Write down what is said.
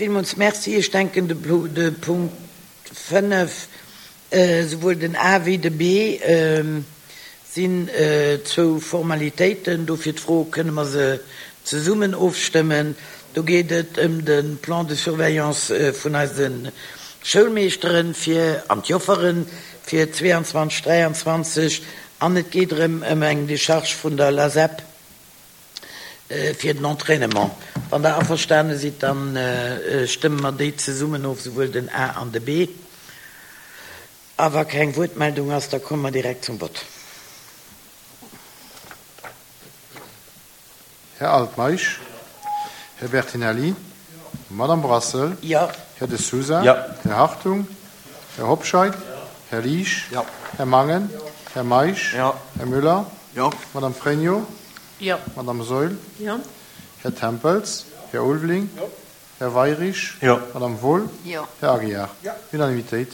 Villmools Merci. Ech denken, de Punkt 5, souwuel den A wéi de B sinn zwou Formalitéiten. Dofir d'Fro, Kënne mer se zesummen ofstëmmen? Do geet et ëm de Plan de surveillance vun eise Schoulmeeschteren fir an d'Joffere fir 22, 23 an et geet erëm ëm eng Decharge vun der LASEP fir den Entraînement. Wann Der averstane sidd, da stëmme mer déi zesummen of, souwuel den A an de B. A wa keng Wuertmeldung ass, da komme mer direkt zum Vott. Här Altmeisch, Här Bertinelli, Madame Brassel, Här De Sousa, Här Hartung, Här Hobscheit, Här Liesch, Här Mangen, Här Meisch, Här Müller, Madame Frénio, Madame Saeul, Här Tempels, Här Ulveling, Här Weirich, Madame Wohl, Här Aguiar. Unanimitéit.